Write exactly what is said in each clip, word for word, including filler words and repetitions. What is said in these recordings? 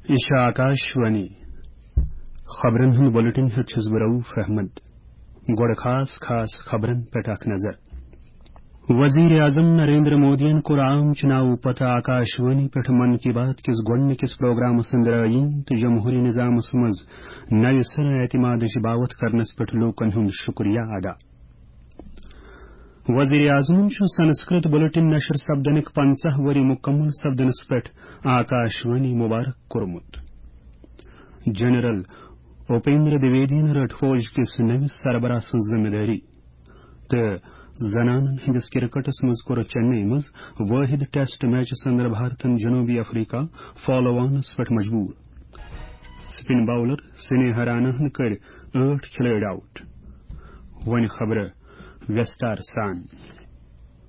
یہِ چھِ آکاش وانی۔ خبرن ہُنٛد بلیٹن ہیوٚت چھُس بہٕ رؤف احمد۔ گۄڈٕ خاص خاص خبرن پٮ۪ٹھ اکھ نظر۔ وزیر اعظم نریندر مودیَن کوٚر عام چُناوٕ پتہٕ آکاش وانی پٮ۪ٹھ من کی بات کِس گۄڈٕنِکِس پروگرامس اندر آیین تہٕ جمہوری نظامس منٛز نوِ سرٕ اعتمادٕچ باوتھ کرنس پٮ۪ٹھ لوٗکن ہُنٛد شُکریہ ادا۔ وزیر اعظمن چھُ سنسکرت بلیٹن نشر سپدنٕکۍ پنژاہ ؤری مکمل سپدنس پٮ۪ٹھ آکاش وانی مبارک کوٚرمُت۔ جنرل اپیندر دویدین رٔٹ فوج کِس نٔوِس سربراہ سٕنٛز ذمہٕ دٲری تہٕ زنانن ہٕنٛدِس کرکٹس منٛز کوٚر چنئی منٛز وٲحد ٹیسٹ میچس اندر بھارتن جنوبی افریقہ فالو آنس پٮ۪ٹھ مجبور۔ سپن باولر سنیہا راناہن کٔرۍ ٲٹھ کھلٲڑۍ آؤٹ۔ وۄنۍ خبرٕ ویستار سان۔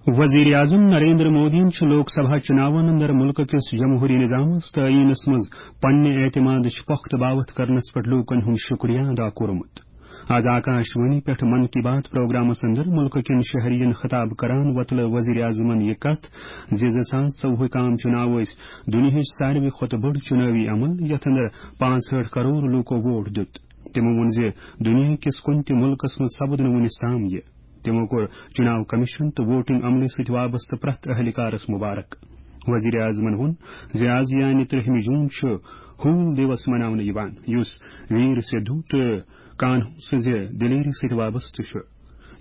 وزیر اعظم نریندر مودیَن چھُ لوک سبھا چُناون اندر مُلکہٕ کِس جمہوری نظامس تہٕ آئینس منٛز پننہِ اعتمادٕچ پۄختہٕ باوتھ کرنس پٮ۪ٹھ لوٗکن ہُنٛد شُکریہ ادا کوٚرمُت۔ از آکاش وانی پٮ۪ٹھ من کی بات پروگرامس اندر مُلکہٕ کٮ۪ن شہرین خطاب کران وۄتلٲو وزیر اعظمن یہِ کتھ زِ زٕ ساس ژوٚوُہٕکۍ عام چُناو ٲسۍ دُنیاہٕچ ساروی کھۄتہٕ بٔڑ چُنٲوی عمل، یتھ اندر پانٛژہٲٹھ کرور لوٗکو ووٹ دیُت۔ تِمو ووٚن زِ دُنیا کِس کُنہِ تہِ مُلکس منٛز سپُد نہٕ وُنِس تام یہِ۔ تِمو کوٚر چُناو کمیشن تہٕ ووٹنگ عملہِ سۭتۍ وابستہٕ پرٛٮ۪تھ اہلکارس مبارک۔ وزیر اعظمن ووٚن زِ از یعنی ترٛہمہِ جون چھُ حوٗل دیوس مناونہٕ یِوان، یُس ویر سدھو تہٕ کانہو سٕنٛزِ دلیری سۭتۍ وابستہٕ چھُ،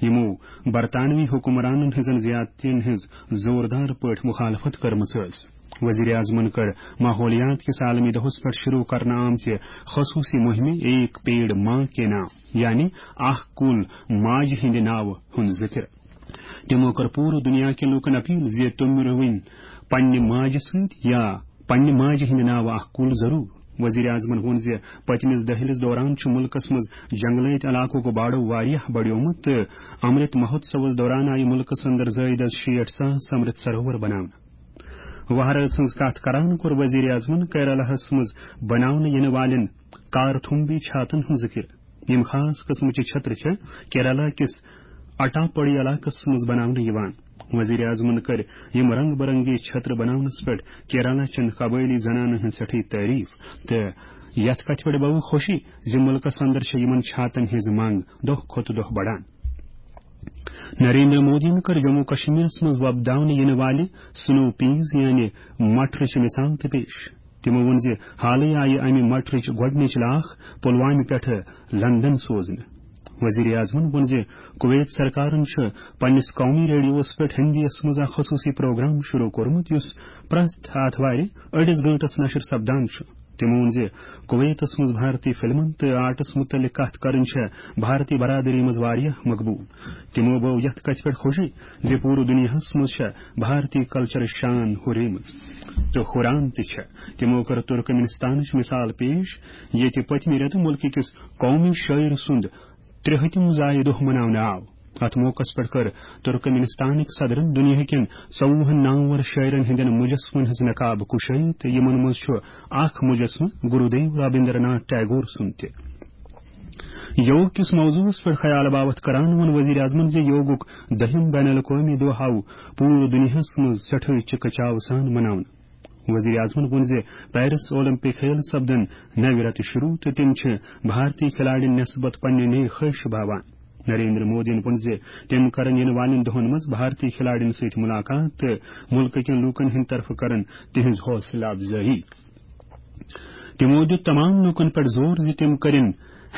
یِمو برطانوی حکمرانن ہٕنٛزن زیادتین ہٕنٛز زوردار پٲٹھۍ مخالفت کٔرمٕژ ٲس۔ وزیر اعظمن کٔر ماحولیات کِس عالمی دۄہس پٮ۪ٹھ شروع کرنہٕ آمژِ خصوصی مہمہِ ایک پیڑ ماں کے نام، یعنی اکھ کُل ماجہِ ہٕنٛدِ ناوٕ، ہُنٛد ذِکر۔ تِمو کٔر پوٗرٕ دُنیا کٮ۪ن لوٗکن اپیل زِ تِم رُوٕنۍ پننہِ ماجہِ سۭتۍ یا پننہِ ماجہِ ہٕنٛدِ ناوٕ اکھ کُل ضروٗر۔ وزیر اعظمن ووٚن زِ پٔتمِس دٔہلِس دوران چھُ مُلکس منٛز جنگلٲتۍ علاقُک باڑو واریاہ بڑیومُت تہٕ امرت مہوتسوس دوران آیہِ مُلکس اندر زٲیِد از شیٹھ ساس امرت سروور بناونہٕ۔ وہرٲژ ہٕنٛز کتھ کران کوٚر وزیر اعظمن کیرالہس منٛز بناونہٕ یِنہٕ والٮ۪ن کارتھمبی چھاتن ہُنٛد ذِکر، یِم خاص قٕسمٕچہِ چھترٕ چھےٚ کیرالہ کِس اٹاپاڈی علاقس منٛز بناونہٕ یِوان۔ وزیر اعظمن کٔرۍ یِم رنگ برنگی چھترٕ بناونس پٮ۪ٹھ کیرالہ چٮ۪ن قبٲئلی زنانن ہٕنٛز سٮ۪ٹھٕے تعریف تہٕ یتھ کتھِ پٮ۪ٹھ بٲو خوشی زِ مُلکس اندر چھےٚ یِمن چھاتن ہٕنٛز منگ دۄہ کھۄتہٕ دۄہ بڑان۔ نریندر مودیَن کٔر جموں کشمیرس منٛز وۄپداونہٕ یِنہٕ والہِ سنو پیز یعنی مٹرٕچ مثال تہِ پیش۔ تِمو ووٚن زِ حالٕے آیہِ امہِ مٹرٕچ گۄڈٕنِچ لاکھ پلوامہِ پٮ۪ٹھٕ لندن سوزنہٕ۔ وزیر اعظمن ووٚن زِ کویت سرکارن چھُ پننِس قومی ریڈیوس پٮ۪ٹھ ہندیَس منٛز اکھ خصوصی پروگرام شروع کوٚرمُت، یُس پرٛٮ۪تھ آتھوارِ أڑِس گٲنٹس نشر سپدان چھُ۔ تِمو ووٚن زِ کویتس منٛز بھارتی فلمن تہٕ آرٹس مُتعلق کتھ کرٕنۍ چھےٚ بھارتی برادری منٛز واریاہ مقبوٗل۔ تِمو بٲو یتھ کتھِ پٮ۪ٹھ خوشی زِ پوٗرٕ دُنیاہس منٛز چھےٚ بھارتی کلچرٕچ شان ہُریمٕژ تہٕ ہُران تہِ چھےٚ۔ تِمو کٔر ترکمنستانٕچ مثال پیش، ییٚتہِ پٔتمہِ رٮ۪تہٕ مُلکہٕ کِس قومی شٲعر سُنٛد ترٛہٲتِم زایہِ دۄہ مناونہٕ آو۔ اتھ موقعس پٮ۪ٹھ کٔر ترکمنستانٕکۍ صدرن دُنیاہکٮ۪ن ژوٚوُہن نامور شٲعرن ہٕنٛدٮ۪ن مجسمن ہٕنٛز نقاب کشٲیی تہٕ یِمن منٛز چھُ اکھ مجسمہٕ گرودیو رابندر ناتھ ٹیگور سُنٛد تہِ۔ یوگ کِس موضوعس پٮ۪ٹھ خیال باوتھ کران ووٚن وزیر اعظمن زِ یوگُک دٔہِم بین الاقوٲمی دۄہ آو پوٗرٕ دُنیاہس منٛز سٮ۪ٹھٕے چِکہٕ چاوٕ سان مناونہٕ۔ وزیر اعظمن ووٚن زِ پیرس اولمپک کھیل سپدن نوِ رتہٕ شروع تہٕ تِم چھِ بھارتی کھلاڑین نسبت پننہِ نیک خواہش باوان۔ نریندر مودیَن ووٚن زِ تِم کرن یِنہٕ والٮ۪ن دۄہَن منٛز بھارتی کھلاڑین سۭتۍ مُلاقات تہٕ مُلکہٕ کٮ۪ن لوٗکَن ہٕنٛدِ طرفہٕ کرن تِہنٛز حوصلہٕ افزٲیی۔ تِمَو دیُت تمام لوٗکَن پٮ۪ٹھ زور زِ تِم کرن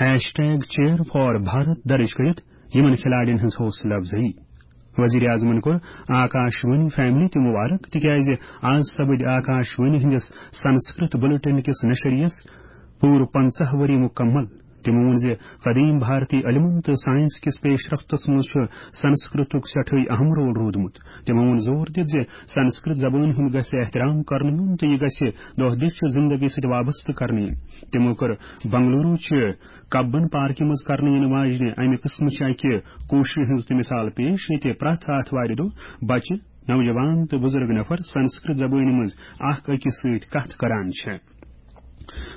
hashtag cheer for Bharat درٕج کٔرِتھ یِمَن کھلاڑین ہٕنٛز حوصلہٕ افزٲیی۔ وزیر اعظمَن کوٚر آکاش وانی فیملی تہِ مبارک، تِکیازِ آز سپٕدۍ آکاش وانی ہٕنٛدِس سنسکرت بلیٹن کِس نشریَس پوٗرٕ پنژاہ ؤری مُکمل۔ تِمو ووٚن زِ قدیم بھارتی علمن تہٕ سائنس کِس پیش رفتس منٛز چھُ سنسکرتُک سٮ۪ٹھٕے اہم رول روٗدمُت۔ تِمو ووٚن زور دِتھ زِ سنسکرت زبٲنۍ ہُنٛد گژھِ احترام کرنہٕ یُن تہٕ یہِ گژھِ دۄہ دِش چہِ زندگی سۭتۍ وابستہٕ کرنہٕ یِنۍ۔ تِمو کٔر بنگلورو چہِ کبن پارکہِ منٛز کرنہٕ یِنہٕ واجنہِ امہِ قٕسمہٕ چہِ اکہِ کوٗششہِ ہٕنٛز تہِ مثال پیش، ییٚتہِ پرٛٮ۪تھ آتھوارِ دۄہ بچہِ، نوجوان تہٕ بُزرگ نفر سنسکرت زبٲنۍ منٛز اکھ أکِس سۭتۍ کتھ کران چھِ۔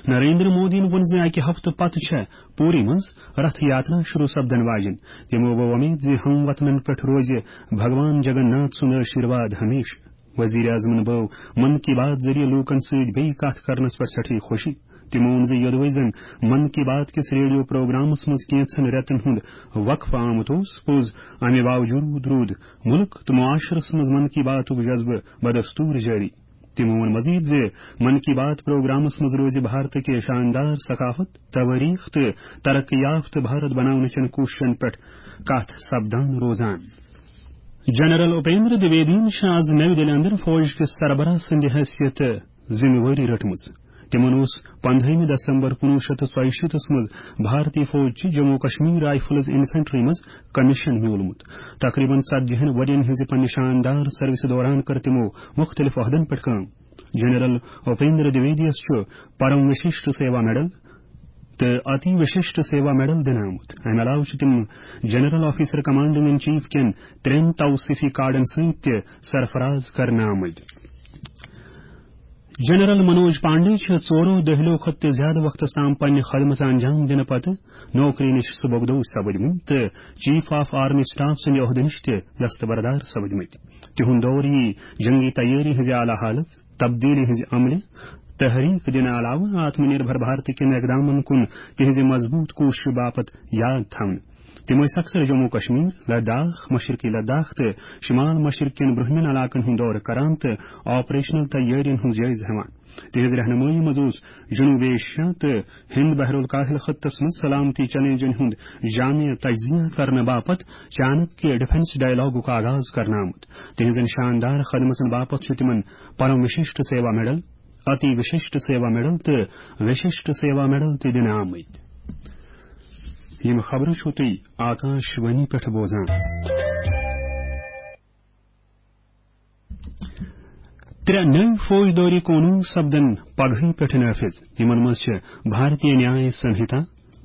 نریندر مودیَن ووٚن زِ اَکہِ ہفتہٕ پتہٕ چھےٚ پوری منٛز رتھ یاترا شروع سپدن واجِنۍ۔ تِمو ووٚو وۄمید زِ ہم وطنن پٮ۪ٹھ روزِ بھگوان جگن ناتھ سُنٛد آشیرواد ہمیشہٕ۔ وزیر اعظمن بٲو من کی بات ذٔریعہٕ لوٗکن سۭتۍ بیٚیہِ کتھ کرنس پٮ۪ٹھ سٮ۪ٹھٕے خوشی۔ تِمو ووٚن زِ یوٚدوَے زن من کی بات کِس ریڈیو پروگرامس منٛز کینٛژن رٮ۪تن ہُنٛد وقفہٕ آمُت اوس، پوٚز، امہِ باوجوٗد روٗد مُلک تہٕ معاشرس منٛز من کی باتُک جذبہٕ بدستوٗر جٲری۔ تِمو ووٚن مزید زِ من کی بات پروگرامس منٛز روزِ بھارت کہِ شاندار ثقافت، توٲریخ تہٕ ترقی یافتہٕ بھارت بناونہٕ چٮ۪ن کوٗششن پٮ۪ٹھ کتھ سپدان روزان۔ جنرل اپیندر دویدین چھِ آز نَوِ دِلہِ اندر فوج کِس سربراہ سٕنٛدِ حیثیت ذمہٕ وٲری رٔٹمٕژ۔ تِمن اوس پندہٲیمہِ دسمبر کُنوُہ شیٚتھ تہٕ ژۄیہِ شیٖتس منٛز بھارتی فوج چہِ جموں کشمیر رائفلز انفنٹری منٛز کمیشن میوٗلمُت۔ تقریباً ژتجی ہن ؤرین ہٕنٛزِ پننہِ شاندار سروسہِ دوران کٔر تِمو مُختٔلِف عہدن پٮ۪ٹھ کٲم۔ جنرل اپیندر دویدیس چھُ پرم وششٹ سیوا میڈل تہٕ اتی وششٹ سیوا میڈل دِنہٕ آمُت۔ امہِ علاوٕ چھِ تِم general officer commanding in chief کٮ۪ن ترٛٮ۪ن توصیفی کارڈن سۭتۍ تہِ سرفراز کرنہٕ آمٕتۍ۔ جنرل منوج پانڈے چھِ ژورو دٔہلو کھۄتہٕ تہِ زیادٕ وقتس تام پننہِ خدمژ انجام دِنہٕ پتہٕ نوکری نِش سُبکدوش سپٕدمٕتۍ تہٕ چیف آف آرمی سٹاف سٕنٛدِ عہدٕ نِش تہِ دستبردار سپٕدمٕتۍ۔ تِہُنٛد دور یی جنگی تیٲری ہٕنٛزِ اعلیٰ حالژ، تبدیلی ہٕنٛزِ عملہِ، تحریک دِنہٕ علاوٕ آتم نربھر بھارت کٮ۪ن اقدامن کُن تِہنٛزِ مضبوط کوٗششہِ باپتھ یاد تھاونہٕ۔ تِم ٲسۍ اکثر جموں کشمیر، لداخ، مشرقی لداخ تہٕ شمال مشرق کٮ۪ن برٛونٛہمٮ۪ن علاقن ہُنٛد دورٕ کران تہٕ آپریشنل تیٲرین ہُنٛد جٲیزٕ ہٮ۪وان۔ تِہنٛز رہنمٲیی منٛز اوس جنوبی ایشیا تہٕ ہند بحر الکاہل خطس منٛز سلامتی چیلنجن ہُنٛد جامع تجزیہ کرنہٕ باپتھ چانکیہ ڈیفنس ڈائیلاگُک آغاز کرنہٕ آمُت۔ تِہنٛزن شاندار خدمژن باپتھ چھُ تِمن پرم وششٹ سیوا میڈل، اتی وششٹ سیوا میڈل تہٕ وششٹ سیوا میڈل تہِ دِنہٕ آمٕتۍ۔ یِم خبرٕ چھِو تُہۍ آکاش وانی پٮ۪ٹھ بوزان۔ ترٛےٚ نٔوۍ فوجدٲری قونوٗن سپدن پگہٕے پٮ۪ٹھ نافذ۔ یِمن منٛز چھِ بھارتیہ نیاے سنہتا،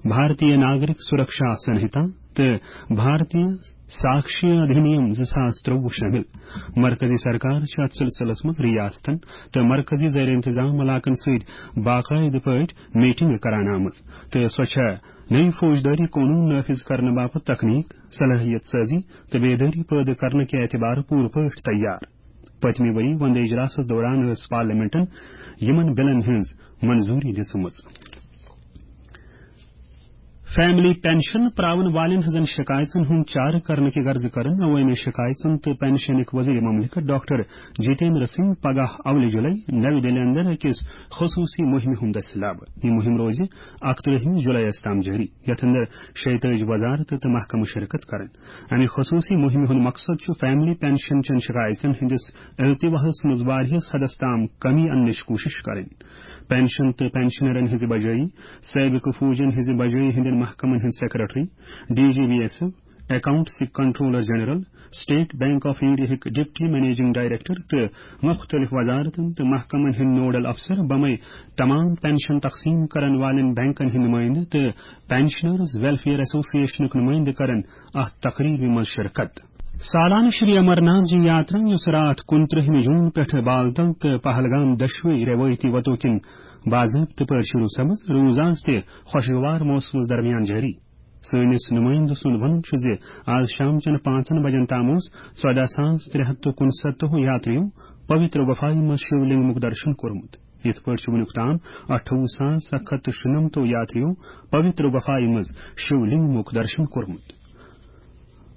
بھارتیہ ناگرک سرکشا سنہتا تہٕ بھارتیہ ساکشیہ ادھینیم زٕ ساس ترٛوُہ شٲمِل۔ مرکزی سرکار چھِ اتھ سلسلس منٛز ریاستن تہٕ مرکزی زیر انتظام علاقن سۭتۍ باقاعدٕ پٲٹھۍ میٹنگ کران آمٕژ تہٕ سۄ چھےٚ نٔوۍ فوجدٲری قونوٗن نافذ کرنہٕ باپتھ تکنیک، صلٲحیت سازی تہٕ بیدٲری پٲدٕ کرنہٕ کہِ اعتبارٕ پوٗرٕ پٲٹھۍ تیار۔ پٔتمہِ ؤری وندٕ اجلاسس دوران ٲس پارلیمنٹن یِمن بلن ہٕنٛز منظوٗری دِژمٕژ۔ فیملی پینشن پراون والٮ۪ن ہٕنٛزن شکایژن ہُنٛد چارٕ کرنہٕ کہِ غرضہٕ کٔرٕن عوٲمی شکایژن تہٕ پینشنٕکۍ وزیر مملکت ڈاکٹر جتیندر سنگھ پگاہ اولہِ جُلے نَوِ دِلہِ اندر أکِس خصوٗصی مُہِمہِ ہُنٛد دٔسۍ لابہٕ۔ یہِ مُہِم روزِ اَکترٛہمہِ جُلایَس تام جٲری، یَتھ اندر شیٚیہِ تٲجی وزارتہٕ تہٕ محکمہٕ شرکت کرن۔ امہِ خصوٗصی مُہِمہِ ہُنٛد مقصد چھُ فیملی پینشن چٮ۪ن شکایژن ہٕنٛدِس التواہس منٛز واریاہس حدس تام کمی اننٕچ کوٗشش کرٕنۍ۔ پینشن تہٕ پینشنرن ہٕنٛزِ بجٲیی، سٲبقہٕ فوجن ہٕنٛزِ بجٲیی ہٕنٛدٮ۪ن محکمن ہٕنٛدۍ secretary, D G B S F, اکاؤنٹسٕکۍ controller general, state bank of انڈیاہٕکۍ ڈپٹی منیجنگ ڈائریکٹر تہٕ مُختٔلِف وزارتن تہٕ محکمن ہٕنٛدۍ نوڈل افسر بمے تمام پینشن تقسیٖم کرن والٮ۪ن بینکن ہٕنٛدۍ نُمٲیندٕ تہٕ پینشنرز ویلفیئر ایسوسی ایشنُک نُمٲیندٕ کرن اتھ تقریبہِ منٛز شرکت۔ سالانہٕ شری امرناتھ جی یاترا، یۄس راتھ کُنترٕہمہِ جون پٮ۪ٹھٕ بالتل تہٕ پہلگام دۄشوے روایتی وتو کِنۍ باضٲبطہٕ پٲٹھۍ شروع سپٕز، روٗز آز تہِ خۄشگوار موسمس درمیان جٲری۔ سٲنِس نُمٲیندٕ سُنٛد وَنُن چھُ زِ آز شام چٮ۪ن پانٛژن بجن تام اوس ژۄداہ ساس ترٛےٚ ہَتھ تہٕ کُنسَتتھ یاترِیو پویتر گُفایہِ منٛز شِو لِنٛگمُک درشن کوٚرمُت۔ یِتھ پٲٹھۍ چھُ وُنیُک تام اَٹھووُہ ساس اَکھ ہَتھ تہٕ شُنَمتو یاترِیو پویتر گُفایہِ منٛز شِو لِنٛگمُک درشن کوٚرمُت۔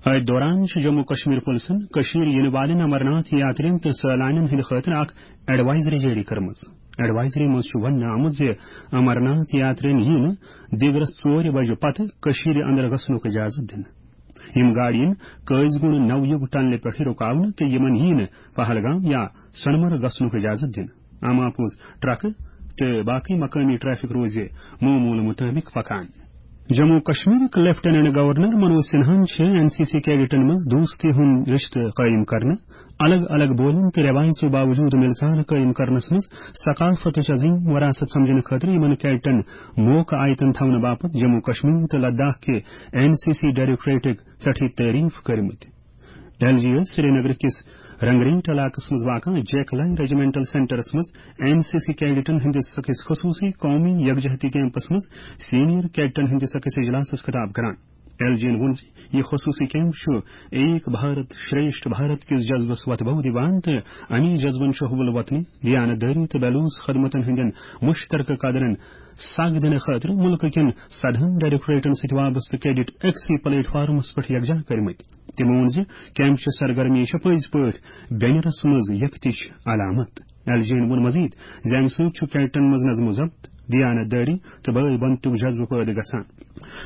أتھۍ دوران چھُ جموں کشمیر پُلسن کٔشیٖر یِنہٕ والٮ۪ن امرناتھ یاترین تہٕ سٲلانٮ۪ن ہٕنٛدِ خٲطرٕ اکھ ایڈوائزری جٲری کٔرمٕژ۔ ایڈوائزری منٛز چھُ وننہٕ آمُت زِ امرناتھ یاترین یِیہِ نہٕ دِگرس ژورِ بجہِ پتہٕ کٔشیٖرِ اندر گژھنُک اجازت دِنہٕ۔ یِم گاڑِ یِن قٲضۍ گُنڈ نو یُگ ٹنلہِ پٮ۪ٹھٕ رُکاونہٕ تہٕ یِمن یِیہِ نہٕ پہلگام یا سۄنمرگ گژھنُک اجازت دِنہٕ۔ عام آپوز ٹرکہٕ تہٕ باقٕے مقٲمی ٹریفک روزِ معموٗل مُطٲبِق پکان۔ جموں کشمیرٕکۍ لیفٹیننٹ گورنر منوج سنہاہن چھِ این سی سی کیڈٹن منٛز دوستی ہُنٛد رشتہٕ قٲیِم کرنہٕ، الگ الگ بولن تہٕ رٮ۪وایژو باوجوٗد مِلژار قٲیِم کرنس منٛز ثقافتٕچ عظیٖم وراثت سمجھنہٕ خٲطرٕ یِمن کیڈٹن موقعہٕ آیتن تھاونہٕ باپتھ جموں کشمیر تہٕ لداخ کہِ این سی سی ڈائریکٹوریٹٕکۍ ژٹھٕے تعریف کٔرمٕتۍ۔ ڈل جی ٲسۍ سرینگر کِس رنگریٹ علاقس منٛز واقع جیک لائن ریجیمنٹل سینٹرس منٛز این سی سی کیڈٹن ہٕنٛدِس أکِس خصوٗصی قومی یکجہتی کیمپس منٛز سینئر کیڈٹن ہٕنٛدِس أکِس اجلاسس خطاب کران۔ ایل جی ین ووٚن زِ یہِ خصوٗصی کیمپ چھُ ایک بھارت شریشٹھ بھارت کِس جذبس وتہٕ بو دِوان تہٕ اَمی جذبن چھُ حُبل وطنی، دیانت دٲری تہٕ بلوچ خدمتن ہٕنٛدٮ۪ن مشترکہٕ قدرن سگ دِنہٕ خٲطرٕ مُلکہٕ کٮ۪ن سدہن ڈائریکٹوریٹن سۭتۍ وابستہٕ کیڈٹ أکسٕے پلیٹ فارمس پٮ۪ٹھ یکجا کٔرمٕتۍ۔ تِمو ووٚن زِ کیمپ چہِ سرگرمی چھےٚ پٔزۍ پٲٹھۍ بینرس منٛز یکتٕچ علامت۔ ایل جی ین ووٚن مزید زِ امہِ سۭتۍ چھُ کیڈٹن منٛز نظم و ضبط، دیانت دٲری تہٕ بٲے بنتُک جذبہٕ پٲدٕ گژھان۔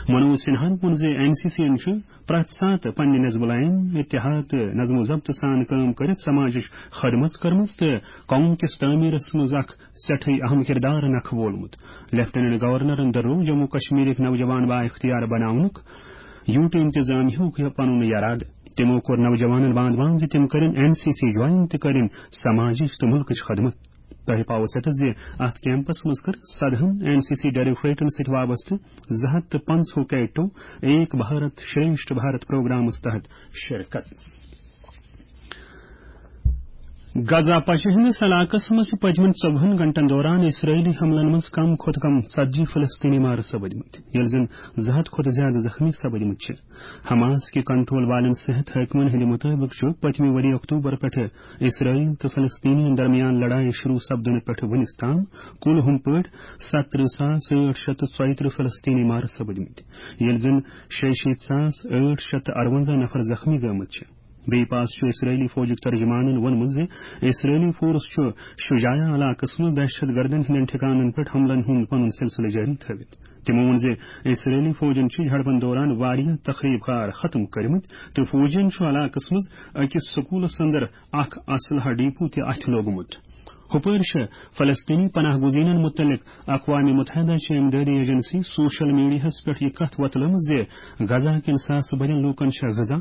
منوج سنہاہن ووٚن زِ این سی سی ین چھُ پرٛٮ۪تھ ساتہٕ پننہِ نظم العین، اتحاد تہٕ نظم و ضبط سان کٲم کٔرِتھ سماجٕچ خدمت کٔرمٕژ تہٕ قوم کِس تعمیرس منٛز اکھ سٮ۪ٹھٕے اہم کردار نکھٕ وولمُت۔ لیفٹیننٹ گورنرن دۄہروو جموں کشمیرٕکۍ نوجوان با اختیار بناونُک یوٗٹہٕ انتظامیہُک پنُن یرادٕ۔ تِمو کوٚر نوجوانن باند باند زِ تِم کٔرِن این سی سی جوائن تہٕ کٔرِن سماجٕچ تہٕ مُلکٕچ خدمت۔ تۄہہِ پاوو ژٮ۪تس زِ اتھ کیمپس منٛز کٔر سدہن این سی سی ڈائریکٹوریٹن سۭتۍ وابستہٕ زٕ ہتھ تہٕ پنٛژاہ کیڈٹو ایک بھارت شریشٹھ بھارت پروگرامس تحت شرکت۔ غزہ پچہِ ہٕنٛدِس علاقس منٛز چھِ پٔتمٮ۪ن ژۄوُہن گھنٹن دوران اسرائیلی حملن منٛز کم کھۄتہٕ کم ژتجی فلسطینی مارٕ سپٕدمٕتۍ، ییٚلہِ زن زٕ ہتھ کھۄتہٕ زیادٕ زخمی سپٕدمٕتۍ چھِ۔ حماس کہِ کنٹرول والٮ۪ن صحت حٲکمن ہٕنٛدِ مُطٲبِق چھُ پٔتمہِ ؤری اکتوبر پٮ۪ٹھٕ اسرائیل تہٕ فلسطینین درمیان لڑایہِ شروع سپدنہٕ پٮ۪ٹھٕ وُنِس تام کُل ہُم پٲٹھۍ ستترٕہ ساس ٲٹھ شیٚتھ تہٕ ژۄیہِ ترٕہ فلسطینی مارٕ سپٕدمٕتۍ، ییٚلہِ زن شیٚیہِ شیٖتھ ساس ٲٹھ شیٚتھ تہٕ ارونزاہ نفر زخمی گٔمٕتۍ چھِ۔ بیٚیہِ پاس چھُ اسرائیلی فوجُک ترجمانن ووٚنمُت زِ اسرائیلی فورس چھُ شجاعہ علاقس منٛز دہشت گردن ہٕنٛدٮ۪ن ٹھکانن پٮ۪ٹھ حملن ہُنٛد پنُن سلسلہٕ جٲری تھٲوِتھ۔ تِمو ووٚن زِ اسرائیلی فوجن چھِ جھڑپن دوران واریاہ تخریب کار ختم کٔرمٕتۍ تہٕ فوجین چھُ علاقس منٛز أکِس سکوٗلس اندر اکھ اسلحہ ڈیپو تہِ اتھِ لوگمُت۔ ہُپٲرۍ چھِ فلسطینی پناہ گزینن مُتعلق اقوام متحدہ چہِ امدادی ایجنسی سوشل میڈیاہس پٮ۪ٹھ یہِ کتھ وۄتلٲومٕژ زِ غزہ کٮ۪ن ساسہٕ بٔدٮ۪ن لوٗکن چھےٚ غذا،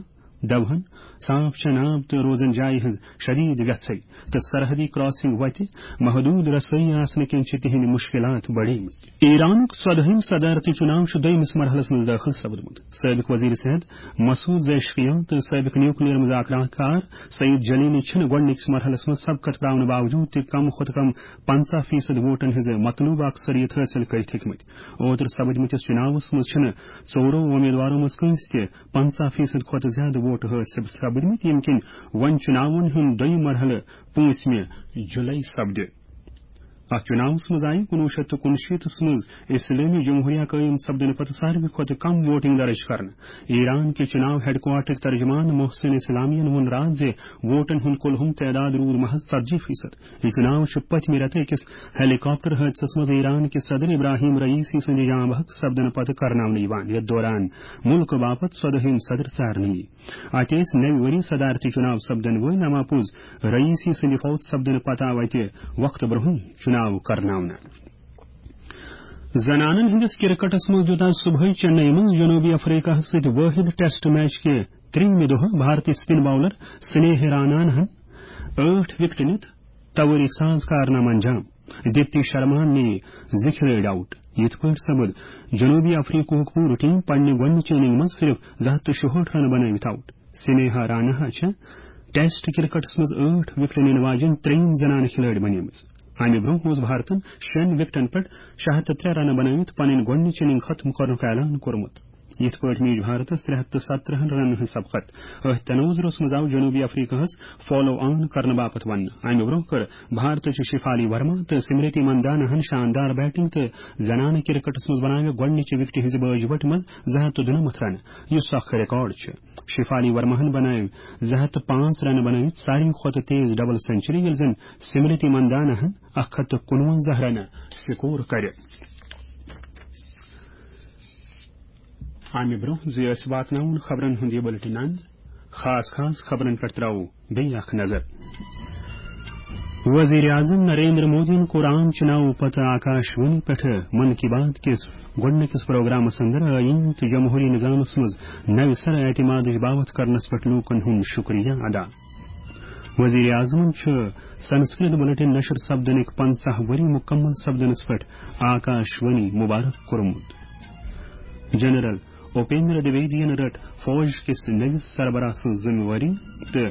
دوہن، صاف چنہٕ آب تہٕ روزن جایہِ ہٕنٛز شدید ویژھٕے تہٕ سرحدی کراسنگ وتہِ محدود رسٲیی آسنہٕ کِنۍ چھِ تِہنٛدۍ مشکلات بڑیمٕتۍ۔ ایرانُک ژۄدہٲیِم صدارتی چُناو چھُ دوٚیمِس مرحلس منٛز دٲخل سپدمُت۔ سٲبق وزیر صحت مسعود زیشکیان تہٕ سٲبق نیوکلیئر مذاکرات کار سعید جلیلی چھِنہٕ گۄڈٕنِکِس مرحلس منٛز سبقت پراونہٕ باوجود تہِ کم کھۄتہٕ کم پنژاہ فیصد ووٹن ہٕنٛز مطلوبہ اکثریت حٲصِل کٔرِتھ ہیٚکمٕتۍ۔ اوترٕ سپدمٕتِس چُناوس منٛز چھِنہٕ ژورو امیدوارو منٛز کٲنٛسہِ تہِ پنژاہ فیصد کھۄتہٕ زیادٕ ووٹہٕ حٲصِل سپدمٕتۍ، ییٚمہِ کِنۍ وۄنۍ چُناون ہُنٛد دوٚیِم مرحلہٕ پوٗنٛژمہِ جُلے سپدِ۔ اتھ چُناوس منٛز آیہِ کُنوُہ شیٚتھ تہٕ کُنشیٖتس منٛز اسلٲمی جمہوریہ قٲیِم سپدنہٕ پتہٕ ساروی کھۄتہٕ کم ووٹنگ درج کرنہٕ۔ ایران کہِ چُناو ہیڈکوارٹر ترجمان محسن اسلامیَن ووٚن راتھ زِ ووٹن ہُنٛد کُل ہُم تعداد روٗد محض ژتجی فیصد۔ یہِ چُناو چھُ پٔتمہِ رٮ۪تہٕ أکِس ہیلی کاپٹر حٲدثس منٛز ایران کہِ صدر ابراہیم رئیسی سٕنٛدِ جان بحق سپدنہٕ پتہٕ کرناونہٕ یِوان، یتھ دوران مُلکہٕ باپتھ ژۄدٲہِم صدر ژارنہٕ یِیہِ۔ اتہِ ٲسۍ نوِ ؤری صدارتی چُناو سپدن وٲلۍ، اما پوٚز رئیسی سٕنٛدِ فوت سپدنہٕ پتہٕ آو اتہِ وقتہٕ برونٛہٕے چُناو کرناونہٕ۔ زنانن ہٕنٛدِس کرکٹس منٛز دیُت آز صبحٲے چنئی منٛز جنوبی افریقہس سۭتۍ وٲحد ٹیسٹ میچ کہِ ترٛیٚیِمہِ دۄہہٕ بھارتی سپن باولر سنیہ راناہن ٲٹھ وکٹہٕ نِتھ توٲریخ ساز کارنامہٕ انجام۔ دیپتی شرماہن نِیہِ زٕ کھلٲڑۍ آوٹ۔ یِتھ پٲٹھۍ سپُد جنوبی افریقہُک پوٗرٕ ٹیم پننہِ گۄڈٕنِچ اننگ منٛز صرف زٕ ہتھ تہٕ شُہٲٹھ رنہٕ بنٲوِتھ آوٹ۔ سنیہا راناہا چھےٚ ٹیسٹ کرکٹس منٛز ٲٹھ وکٹہٕ نِنہٕ واجیٚنۍ ترٛیٚیِم زنانہٕ کھلٲڑۍ بنیمٕژ۔ امہِ برونٛہہ اوس بھارتن شیٚن وکٹن پٮ۪ٹھ شےٚ ہتھ تہٕ ترٛےٚ رنہٕ بنٲوِتھ پنٕنۍ گۄڈٕنِچ اننگ ختم کرنُک اعلان کوٚرمُت۔ یِتھ پٲٹھۍ میج بھارتس ترٛےٚ ہتھ تہٕ ستترٕہن رنن ہٕنٛز سبقت۔ أتھۍ تناظرس منٛز آو جنوبی افریقہس فالو آن کرنہٕ باپتھ وننہٕ۔ امہِ برونٛہہ کٔر بھارتٕچہِ شفالی ورما تہٕ سمرتی منداناہن شاندار بیٹنگ تہٕ زنانہٕ کرکٹس منٛز بناوِ گۄڈٕنِچہِ وکٹہِ ہٕنٛزِ بٲجہِ وٹہِ منٛز زٕ ہتھ تہٕ دُنمتھ رنہٕ، یُس اکھ ریکارڈ چھُ۔ شفالی ورماہن بنٲوۍ زٕ ہتھ تہٕ پانٛژھ رنہٕ بنٲوِتھ ساروی کھۄتہٕ تیز ڈبل سنچری، ییٚلہِ زن سمرتی منداناہن اکھ ہتھ تہٕ کُنوَنزاہ رنہٕ سکور کرِ۔ امہِ برونٛہہ زِ أسۍ واتناوون خبرن ہُنٛد یہِ بُلٹن اند، خاص خاص خبرن پٮ۪ٹھ ترٛاوو بیٚیہِ اکھ نظر۔ وزیر اعظم نریندر مودیَن کوٚر عام چُناو پتہٕ آکاش وانی پٮ۪ٹھٕ من کی بات کِس گۄڈٕنِکِس پروگرامس اندر آئین تہٕ جمہوری نظامس منٛز نوِ سرٕ اعتمادٕچ باوتھ کرنس پٮ۪ٹھ لوٗکن ہُنٛد شُکریہ ادا۔ وزیر اعظمن چھُ سنسکرت بُلٹن نشر سپدنٕکۍ پنژاہ ؤری مُکمل سپدنس پٮ۪ٹھ آکاش وانی مبارک کوٚرمُت۔ جنرل اپیندر دویدین رٔٹ فوج کِس نٔوِس سربراہ سٕنٛز ذمہٕ وٲری تہٕ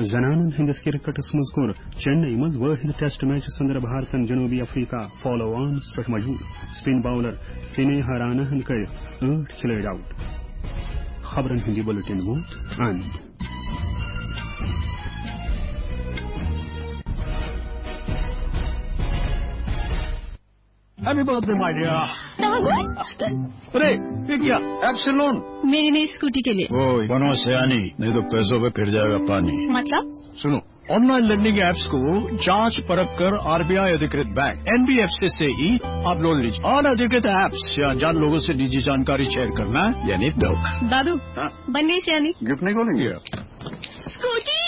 زنانن ہٕنٛدِس کرکٹس منٛز کوٚر چنئی منٛز وٲحد ٹیسٹ میچس اندر بھارتن جنوبی افریقہ فالو آنس پٮ۪ٹھ مجبور۔ سپن باولر سنیہا راناہن کٔرۍ ٲٹھ کھلٲڑۍ آوٹ۔ خبرن ہُنٛد یہِ بُلٹن ووت اند۔ Happy birthday, my dear. अरे, ये क्या? Absolon। मेरी नई स्कूटी के लिए। ओए, बनो सयानी, नहीं तो पैसों पे फिर जाएगा पानी। मतलब? सुनो, ऑनलाइन लेंडिंग एप्स को जांच परख कर आरबीआई अधिकृत बैंक, एनबीएफसी से ही आप लोन लीजिए। अनधिकृत एप्स या अनजान लोगों से निजी जानकारी शेयर करना यानी धोखा। दादू, हाँ? बन गई सयानी। गिफ्ट नहीं खोलेंगे? स्कूटी।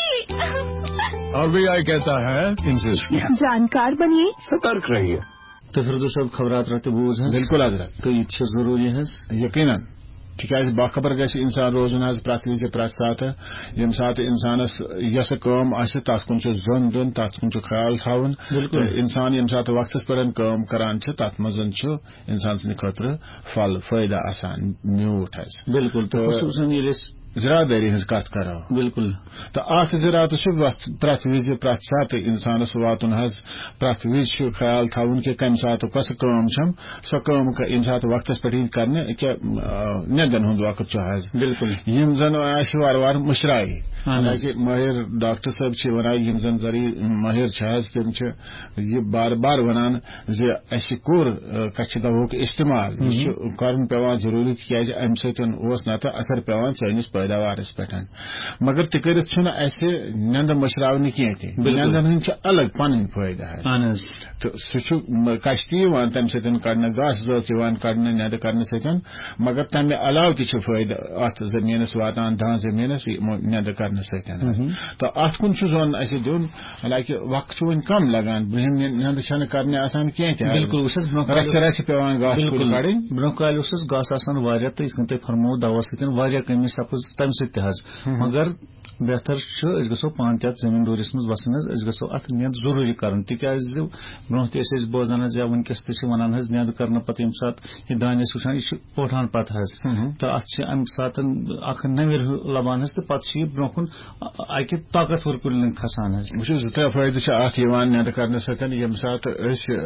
आरबीआई कहता है, इनसे जानकार बनिए, सतर्क रहिए। तो फिर दोस्तों, अब खबरात रहते बोझ हैं। बिल्कुल हजरत। तो ये अच्छे जरूरी है। यकीनन। تِکیٛازِ باخبر گژھِ اِنسان روزُن حظ پرٛٮ۪تھ وِزِ پرٛٮ۪تھ ساتہٕ۔ ییٚمہِ ساتہٕ اِنسانَس یۄسہٕ کٲم آسہِ، تَتھ کُن چھُ زوٚن دیُن، تَتھ کُن چھُ خیال تھاوُن۔ بِلکُل۔ تہٕ اِنسان ییٚمہِ ساتہٕ وقتَس پٮ۪ٹھ کٲم کران چھِ، تَتھ منٛز چھُ اِنسان سٕنٛدِ خٲطرٕ پھل، فٲیدٕ آسان، میوٗٹھ حظ۔ بِلکُل، تہٕ تہٕ خصوٗصاً ییٚلہِ أسۍ زِرادٲری ہٕنٛز کَتھ کَرو۔ بِلکُل۔ تہٕ اَتھ زِراتَس چھُ وقت-، پرٛٮ۪تھ وِزِ، پرٛٮ۪تھ ساتہٕ اِنسانَس واتُن حظ، پرٛٮ۪تھ وِزِ چھُ خیال تھاوُن کہِ کَمہِ ساتہٕ کۄسہٕ کٲم چھَم، سۄ کٲم ک-، ییٚمہِ ساتہٕ وقتَس پٮ۪ٹھ یی کرنہٕ، کیٛاہ، آ، نیٚنٛدَن ہُنٛد وقت چھُ حظ۔ بِلکُل۔ یِم زَن اَسہِ وارٕ وارٕ مٔشراوِ۔ اَہَن حظ۔ حالانکہِ مٲہِر ڈاکٹر صٲب چھِ وَنان، یِم زَن ذٔریعہٕ مٲہِر چھِ حظ، تِم چھِ یہِ بار بار وَنان زِ اَسہِ کوٚر، آ، کَچھِ دوہُک استعمال۔ یہِ مہم۔ چھُ کَرُن پٮ۪وان ضروٗری، تِکیٛازِ اَمہِ سۭتۍ اوس نَتہٕ اثر پٮ۪وان سٲنِس پیداوارَس پٮ۪ٹھ۔ مگر تہِ کٔرِتھ چھُنہٕ اَسہِ نیٚنٛدٕ مٔشراونہٕ کینٛہہ تہِ۔ بِلکُل۔ نیٚنٛدَن ہٕنٛدۍ چھِ الگ پَنٕنۍ فٲیدٕ حظ۔ اہن حظ۔ تہٕ سُہ چھُ م-، کَچھِ تہِ یِوان تَمہِ سۭتۍ کَڑنہٕ، گاسہٕ زٲژ یِوان کَڑنہٕ نیٚنٛدٕ کَرنہٕ سۭتۍ، مگر تَمہِ علاوٕ تہِ چھِ فٲیدٕ اَتھ زٔمیٖنَس واتان، دَہَن زٔمیٖنَس یِمو نیٚنٛدٕ کَرنہٕ سۭتۍ حظ۔ مہم۔ تہٕ اَتھ کُن چھُ زوٚن اَسہِ دیُن، حالانکہِ وقت چھُ وۄنۍ کم لگان، برٛونٛہِم نِ-، نیٚنٛدٕ چھَنہٕ کرنہِ آسان کینٛہہ تہِ۔ بِلکُل، وٕچھ حظ، برٛونٛہہ کالہِ رَژھِ رَژھِ پٮ۪وان گاسہٕ کُلۍ بِلکُل۔ کَڑٕنۍ۔ برٛونٛہہ کالہِ اوس حظ گاسہٕ آسان واریاہ، تہٕ یِتھ کٔنۍ تۄہہِ فرمووُ، دوا سۭتۍ واریاہ کٔمی سَپٕز تَمہِ سۭتۍ تہِ حظ۔ ہُم۔ مگر بہتر چھُ، أسۍ گژھو پانہٕ تہِ اَتھ زٔمیٖن ڈوٗرِس منٛز وَسٕنۍ حظ، أسۍ گژھو اَتھ نیٚنٛد ضروٗری کَرُن، تِکیٛازِ برٛونٛہہ تہِ ٲسۍ أسۍ بوزان حظ، یا وٕنکیٚس تہِ چھِ وَنان حظ، نیٚنٛد کَرنہٕ پَتہٕ ییٚمہِ ساتہٕ یہِ دانہِ أسۍ وٕچھان، یہِ چھُ پوٹھان پَتہٕ حظ۔ ہُم۔ تہٕ اَتھ چھِ اَمہِ ساتہٕ اَکھ نَوِر ہیوٗ لَبان حظ، تہٕ پَتہٕ چھُ یہِ برٛونٛہہ کُن اَکہِ طاقتور کُلٮ۪ن کھسان حظ۔ وٕچھِو، زٕ ترٛےٚ فٲیدٕ چھِ اَتھ یِوان نیٚنٛدٕ کرنہٕ سۭتۍ۔ ییٚمہِ ساتہٕ أسۍ، آ،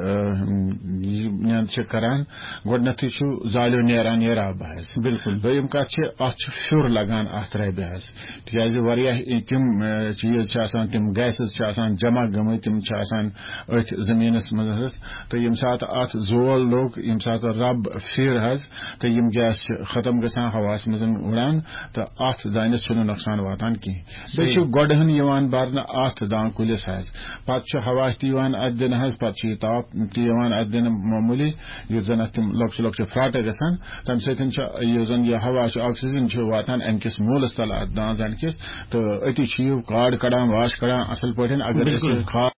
یہِ نیٚنٛد چھِ کران، گۄڈٕنٮ۪تھٕے چھُ زالیو نیران یہِ رب حظ۔ بِلکُل۔ دوٚیِم کَتھ چھِ، اَتھ چھُ پھیُر لگان اَتھ ربہِ حظ، تِکیٛازِ واریاہ تِم، آ، چیٖز چھِ آسان، تِم گیسز چھِ آسان جمع گٔمٕتۍ، تِم چھِ آسان أتھۍ زٔمیٖنَس منٛز حظ۔ تہٕ ییٚمہِ ساتہٕ اَتھ زول لوٚگ، ییٚمہِ ساتہٕ رب پھِر حظ، تہٕ یِم گیس چھِ ختم گژھان، ہواہَس منٛز اُڑان، تہٕ اَتھ دانٮ۪س چھُنہٕ نۄقصان واتان کینٛہہ۔ بیٚیہِ چھُ صحیح۔ گۄڈٕ ہن یِوان برنہٕ اَتھ دان کُلِس حظ، پَتہٕ چھُ ہوا تہِ یِوان اَتھ دِنہٕ حظ، پَتہٕ چھُ یہِ تاپھ تہِ یِوان اَتھ دِنہٕ معموٗلی، یُتھ زَن اَتھ تِم لۄکچہِ لۄکچہِ پھراٹہٕ گژھن، تَمہِ سۭتۍ چھُ یُس زَن یہِ ہوا چھُ، آکسیجن چھُ واتان اَمہِ کِس موٗلَس تَل اَتھ دان زَنہِ کِس، تہٕ أتی چھُ یہِ کاڈ کَڑان، واش کَڑان اَصٕل پٲٹھۍ۔ اگر أسۍ بِلکُل۔ یہِ کھاد